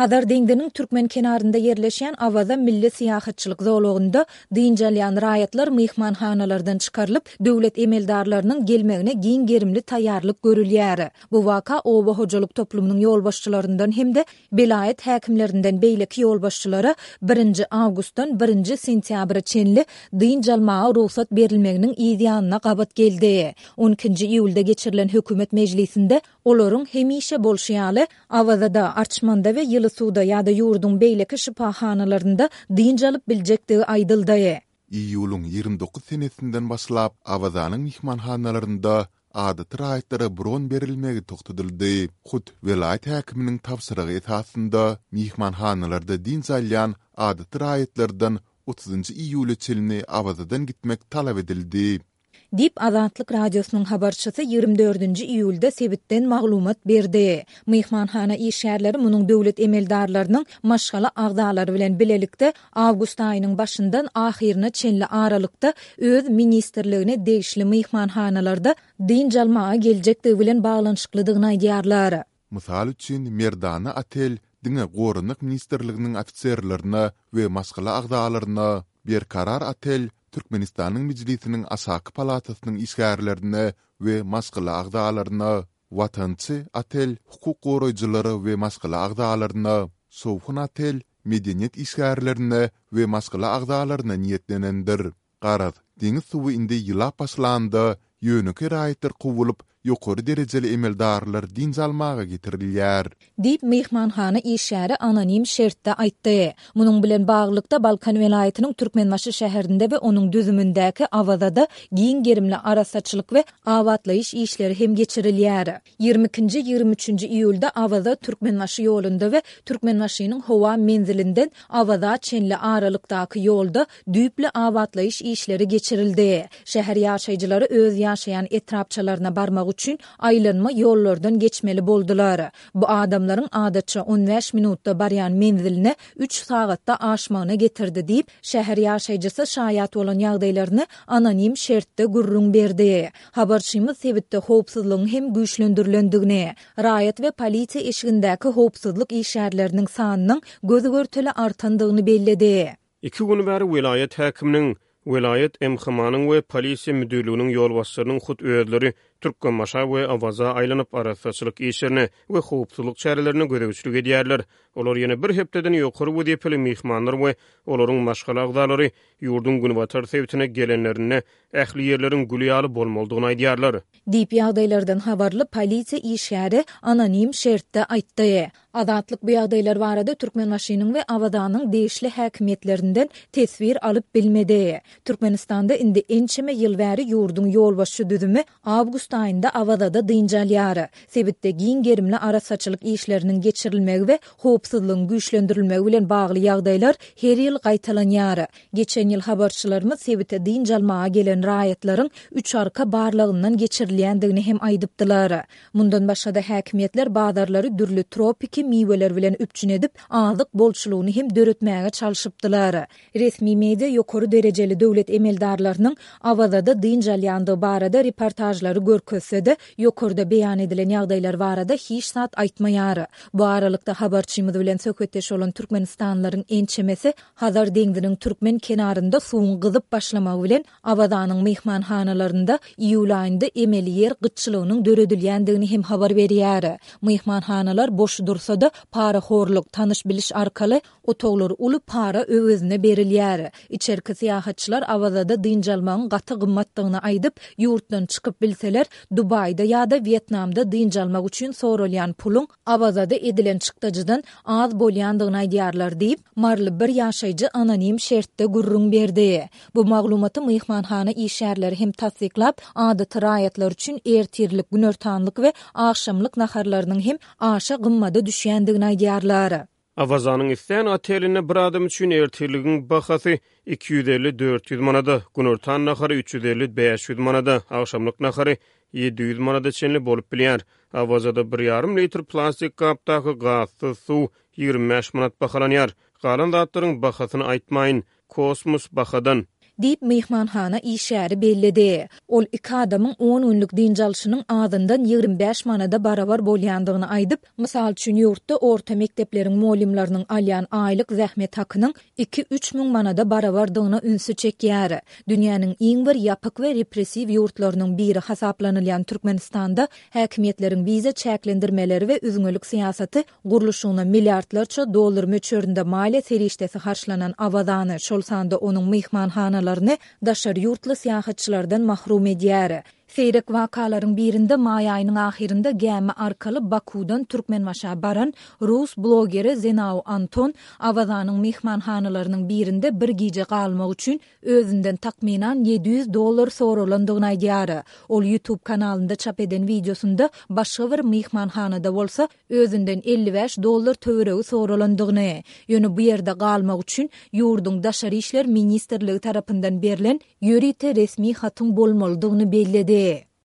Hazar deňziniň türkmen kenarynda ýerleşýän Awaza milli syýahatçylyk zolagynda dynç alýan raýatlar myhmanhanalardan çykarylyp, döwlet emeldarlarynyň gelmegine giň gerimli taýýarlyk görülýär. Bu waka oba hojalyk toplumynyň ýolbaşçylaryndan hem-de welaýat häkimlerinden beýleki ýolbaşçylara birinji awgustdan birinji sentýabra çenli dynç almaga rugsat berilmeginiň yz ýanyna gabat geldi. On ikinji iýulda geçirilen hökümet mejlisinde Olaryň hemişe bolşy ýaly, Awazada, Arçmanda we Ýyly suwda ýa-da ýurduň beýleki şypahanalarynda dynç alyp biljekdigi aýdyldy. Iýulyň 29 senesinden başlap, Awazanyň myhmanhanalarynda adaty raýatlara bron berilmegi togtadyldy. Hut welaýat häkiminiň tabşyrygy esasynda, myhmanhanalarda dynç alýan adaty raýatlardan otuzynjy iýula çenli Awazadan gitmek talap edildi. Diýip, Azatlyk Radiosynyň habarçysy 24 nji iýulda sebitden maglumat berdi. Myhmanhana işgärleri munuň döwlet emeldarlarynyň maşgala agzalary bilen bilelikde awgust aýynyň başyndan ahyryna çenli aralykda öz ministrligine degişli myhmanhanalarda dynç almaga geljekdigi bilen baglanyşyklydygyny aýdýarlar. Mysal üçin, Merdana otel diňe Goranmak ministrliginiň ofiserlerine we maşgala agzalaryna, Berkarar otel Türkmenistanyň Mejlisiniň aşaky palatasynyň işgärlerine we maşgala agzalaryna, Watançy otel hukuk goraýjylara we maşgala agzalaryna, Şowhun otel medeniýet işgärlerine we maşgala agzalaryna niýetlenendir. Garaz, deňiz suwy indi ýylap başlanda, ýönekeý raýatlar kowulyp, ýokary derejeli emeldarlar dynç almaga getirilýär. Diýip, myhmanhana işgäri anonim şertde aýtdy. Munuň bilen baglylykda, Balkan welaýatynyň Türkmenbaşy şäherinde we onuň düzümindäki Awazada giň gerimli arassaçylyk we abatlaýyş işleri hem geçirilýär. Ýigrimi ikinji, ýigrimi üçünji iýulda Awaza, Türkmenbaşy ýolunda we Türkmenbaşynyň howa menzilinden Awaza çenli aralykdaky ýolda düýpli abatlaýyş işleri geçirildi. Şäher ýaşaýjylary öz ýaşaýan etrapçalaryna barmak üçin aýlanma ýollardan geçmeli boldular. Bu adamlaryň adatça on bäş minutda barýan menziline üç sagatda aşmagyna getirdi diýip, şäher ýaşaýjysy şaýat bolan ýagdaýlaryny anonim şertde gürrüň berdi. Habarçymyz sebitde howpsuzlygyň hem güýçlendirilendigini, raýat we polisiýa eşigindäki howpsuzlyk işgärleriniň sanynyň göz-görtele artandygyny belledi. Iki gün bäri welaýat häkiminiň, welaýat MHM-niň we polisiýa müdirliginiň ýolbaşçylarynyň hut özleri Türkmenbaşa we Awaza aýlanyp, arassaçylyk işlerine we howpsuzlyk çärelerine gözegçilik edýärler. Olar ýene bir hepdeden ýokary wezipeli myhmanlar we olaryň maşgala agzalary ýurduň günbatar sebitine gelenlerinde ähli ýerleriň gül ýaly bolmalydygyny aýdýarlar. Diýip, ýagdaýlardan habarly polisiýa işgäri anonim şertde aýtdy. Azatlyk bu ýagdaýlar barada Türkmenbaşynyň we Awazanyň degişli häkimiýetlerinden teswir alyp bilmedi. Türkmenistanda indi ençeme ýyl bäri ýurduň ýolbaşçy düzümi awgust aýynda Awazada dynç alýar. Sebitde giň gerimli arassaçylyk işleriniň geçirilmegi we howpsuzlygyň güýçlendirilmegi bilen bagly ýagdaýlar her ýyl gaýtalanýar. Geçen ýyl habarçylarymyz sebite dynç almaga gelen raýatlaryň üç arka barlagyndan geçirilýändigini hem aýdypdylar. Mundan başga-da häkimiýetler bazarlary dürli tropiki miweler bilen üpjün edip, azyk bolçulygyny hem döretmäge çalşypdylar. Resmi media ýokary derejeli döwlet emeldarlarynyň Awazada dynç alýandygy barada reportažlary görkezse-de, ýokarda beýan edilen ýagdaýlar barada hiç zat aýtmaýar. Bu aralykda habarçymyz bilen söhbetdeş bolan türkmenistanlylaryň ençemesi Hazar deňziniň türkmen kenarynda suwuň gyzyp başlamagy bilen Awazanyň myhmanhanalarynda iýul aýynda emeli ýer gytçylygynyň döredilýändigini hem habar berýär. Myhmanhanalar boş dursa-da, parahorluk, tanyş-biliş arkaly otaglar uly para öwezine berilýär. Içerki syýahatçylar Awazada dynç almagyň gaty gymmatdygyny aýdyp, ýurtdan çykyp bilseler, Dubaýda ýa-da Wýetnamda dynç almak üçin soralýan puluň Awazada edilen çykdajydan az bolýandygyny aýdýarlar diýip, maryly bir ýaşaýjy anonim şertde gürrüň berdi. Bu maglumaty myhmanhana işgärleri hem tassyklap, adaty raýatlar üçin ertirlik, günortanlyk we agşamlyk naharlarynyň hem aşa gymmada düşýändigini aýdýarlar. Awazanyň islän otelinde bir adam üçin ertirligiň bahasy 250-400 manada, günortan nahary 350-500 manada, agşamlyk nahary 700 manada çenli bolup bilýär. Awazada bir ýarym litr plastik gapdaky gazsyz suw 25 manat bahalanýar. Galan zatlaryň bahasyny aýtmaýyn. Kosmos bahadan. Diýip, myhmanhana işgäri belledi. Ol iki adamyň on günlük dynç alşynyň azyndan 25 manada barabar bolýandygyny aýdyp, mysal üçin, ýurtda orta mekdepleriň mugallymlarynyň alýan aýlyk zähmet hakynyň iki-üç müň manada barabardygyna ünsi çekýär. Dünýäniň iň bir ýapyk we repressiw ýurtlarynyň biri hasaplanylýan Türkmenistanda häkimiýetleriň wiza çäklendirmeleri we üzňelik syýasaty Gurluşygyna milliardlarça dollar möçberinde maliýe serişdesi harçlanan Awazany, şol sanda onuň myhmanhanalaryny daşary ýurtly syýahatçylardan mahrum edýär. Seýrek wakalaryň birinde maý aýynyň ahyrynda gämi arkaly Bakuwdan Türkmenbaşa baran rus blogeri Zenau Anton Awazanyň myhmanhanalarynyň birinde bir gije galmak üçin özünden takmynan 700 dollar soralandygyny aýdýar. Ol YouTube kanalynda çap eden wideosynda başga bir myhmanhanada bolsa özünden 55 dollar töweregi soralandygyny, ýöne bu ýerde galmak üçin ýurduň Daşary işler ministrligi tarapyndan berlen ýörite resmi hatyň bolmalydygyny belledi.